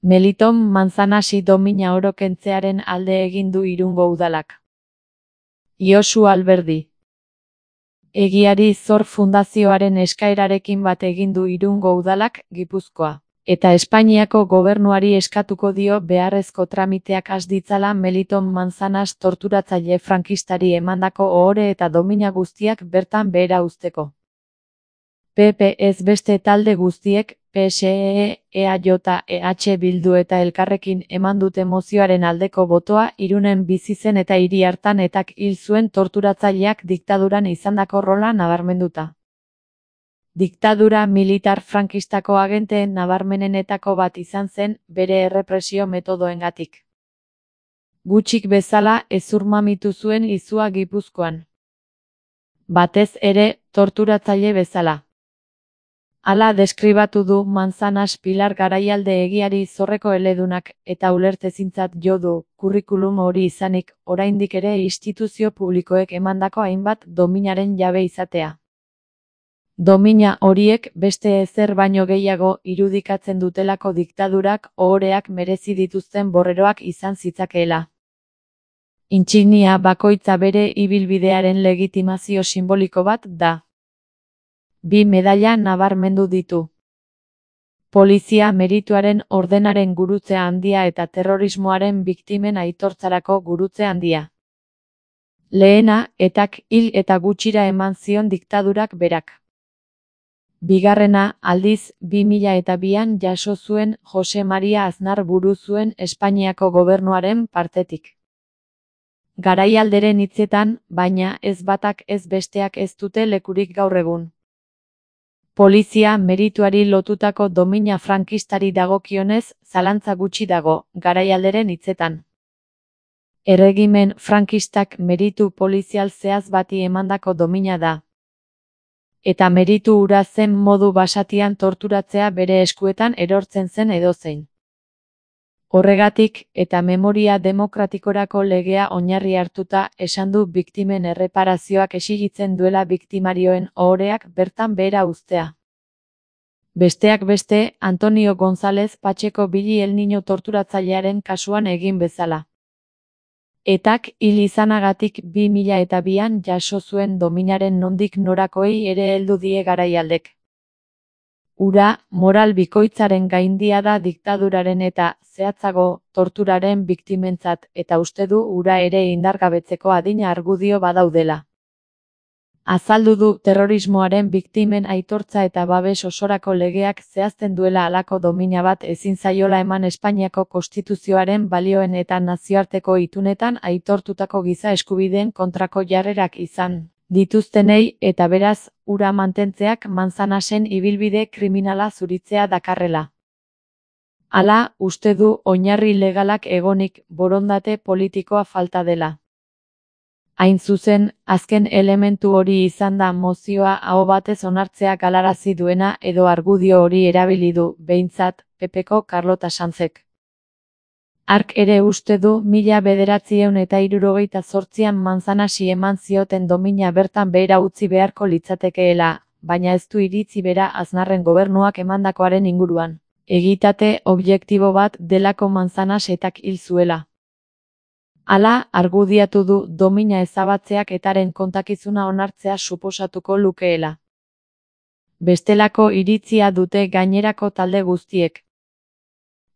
Meliton Manzanasi domina oro kentzearen alde egin du Irungo udalak. Josu Alberdi. Egiari Zor Fundazioaren eskaerarekin bat egin du Irungo udalak, Gipuzkoa. Eta Espainiako gobernuari eskatuko dio beharrezko tramiteak has ditzala Meliton Manzanas torturatzaile frankistari emandako ohore eta domina guztiak bertan behera uzteko. PP ez beste talde guztiek, PSE, EAJ, EH Bildu eta Elkarrekin eman dute mozioaren aldeko botoa Irunen bizi zen eta hiri hartan etak hil zuen torturatzaileak diktaduran izandako rola nabarmenduta. Diktadura militar frankistako agenteen nabarmenenetako bat izan zen bere errepresio metodoengatik. Gutxik bezala hezurmamitu zuen izua Gipuzkoan. Batez ere, torturatzaile bezala. Hala deskribatu du Manzanas Pilar Garaialde egiari Zorreko eledunak eta ulertezintzat jo du, kurrikulum hori izanik, oraindik ere instituzio publikoek emandako hainbat dominaren jabe izatea. Domina horiek beste ezer baino gehiago irudikatzen dutelako diktadurak ohoreak merezi dituzten borreroak izan zitzakeela. Intsignia bakoitza bere ibilbidearen legitimazio sinboliko bat da. 2 medaila nabarmendu ditu. Polizia merituaren ordenaren gurutze handia eta terrorismoaren biktimen aitortzarako gurutze handia. Lehena, etak hil eta gutxira eman zion diktadurak berak. Bigarrena, aldiz, 2002an jaso zuen Jose Maria Aznar buru zuen Espainiako gobernuaren partetik. Garaialderen hitzetan, baina ez batak ez besteak ez dute lekurik gaur egun. Polizia merituari lotutako domina frankistari dagokionez, zalantza gutxi dago, Garaialderen hitzetan. Erregimen frankistak meritu polizial zehaz bati emandako domina da. Eta meritu hura zen modu basatian torturatzea bere eskuetan erortzen zen edozein. Horregatik, eta memoria demokratikorako legea oinarri hartuta, esan du biktimen erreparazioak exigitzen duela biktimarioen ohoreak bertan behera uztea. Besteak beste, Antonio González Pacheco Billy El Niño torturatzailearen kasuan egin bezala. Etak hil izanagatik 2002an jaso zuen dominaren nondik norakoei ere heldu die Garaialdek. Hura, moral bikoitzaren gaindia da diktaduraren eta, zehatzago, torturaren biktimentzat eta uste du hura ere indargabetzeko adina argudio badaudela. Azaldu du terrorismoaren biktimen aitortza eta babes osorako legeak zehazten duela halako domina bat ezin zaiola eman Espainiako Konstituzioaren balioen eta nazioarteko itunetan aitortutako giza eskubideen kontrako jarrerak izan dituztenei eta beraz, hura mantentzeak Manzanasen ibilbide kriminala zuritzea dakarrela. Hala, uste du oinarri legalak egonik borondate politikoa falta dela. Hain zuzen, azken elementu hori izan da mozioa aho batez onartzea galarazi duena edo argudio hori erabili du, behintzat, PPko Carlota Sanzek. Hark ere uste du 1978an Manzanasi eman zioten domina bertan behera utzi beharko litzatekeela, baina ez du iritzi bera Aznarren gobernuak emandakoaren inguruan. Egitate objektibo bat delako Manzanas etak hil zuela. Hala, argudiatu du domina ezabatzeak etaren kontakizuna onartzea suposatuko lukeela. Bestelako iritzia dute gainerako talde guztiek.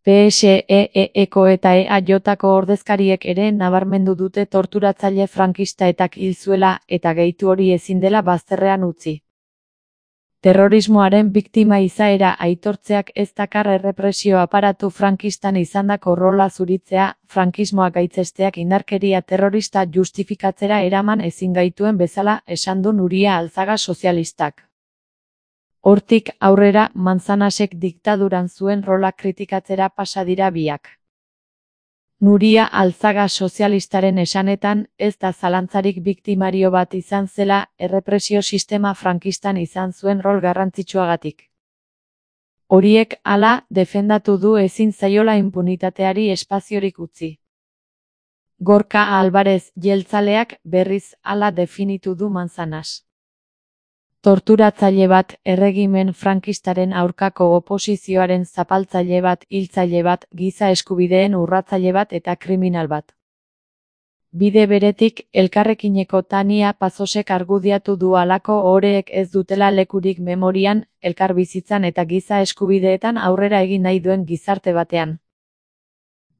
PSEEko eta EAJko ordezkariek ere nabarmendu dute torturatzaile frankista etak hil zuela eta gehitu hori ezin dela bazterrean utzi. Terrorismoaren biktima izaera aitortzeak ez dakar errepresio aparatu frankistan izandako rola zuritzea, frankismoa gaitzesteak indarkeria terrorista justifikatzera eraman ezin gaituen bezala esan du Nuria Alzaga sozialistak. Hortik aurrera Manzanasek diktaduran zuen rola kritikatzera pasa dira biak. Nuria Alzaga sozialistaren esanetan, ez da zalantzarik biktimario bat izan zela, errepresio sistema frankistan izan zuen rol garrantzitsuagatik. Horiek hala defendatu du ezin zaiola inpunitateari espaziorik utzi. Gorka Alvarez jeltzaleak berriz hala definitu du Manzanas. Torturatzaile bat, erregimen frankistaren aurkako oposizioaren zapaltzaile bat, hiltzaile bat, giza eskubideen urratzaile bat eta kriminal bat. Bide beretik, elkarrekineko Tania Pazosek argudiatu du halako ohoreek ez dutela lekurik memorian, elkarbizitzan eta giza eskubideetan aurrera egin nahi duen gizarte batean.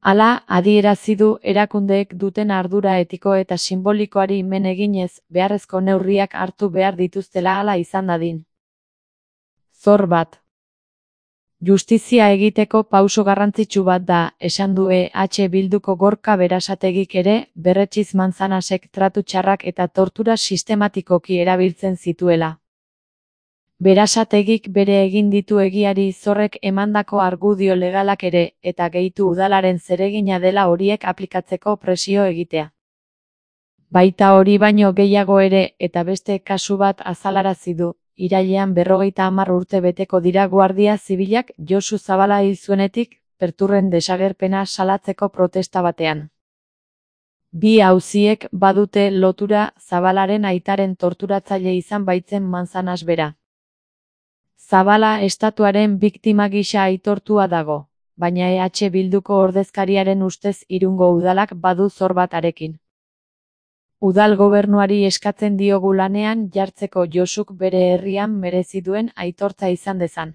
Hala, adierazi du erakundeek duten ardura etiko eta sinbolikoari men eginez, beharrezko neurriak hartu behar dituztela hala izan dadin. Zor bat. Justizia egiteko pauso garrantzitsu bat da, esan du Bilduko Gorka Berasategik ere, berretsiz Manzanasek tratu txarrak eta tortura sistematikoki erabiltzen zituela. Berasategik bere egin ditu egiari Zorrek emandako argudio legalak ere, eta gehitu udalaren zeregina dela horiek aplikatzeko presio egitea. Baita hori baino gehiago ere, eta beste kasu bat azalarazi du. Irailean 50 urte beteko dira Guardia Zibilak Josu Zabala hil zuenetik, Perturren desagerpena salatzeko protesta batean. Bi auziek badute lotura Zabalaren aitaren torturatzaile izan baitzen Manzanas bera. Zabala estatuaren biktima gisa aitortua dago, baina Bilduko ordezkariaren ustez Irungo udalak badu zor bat arekin. Udal gobernuari eskatzen diogu lanean jartzeko Josuk bere herrian merezi duen aitortza izan dezan.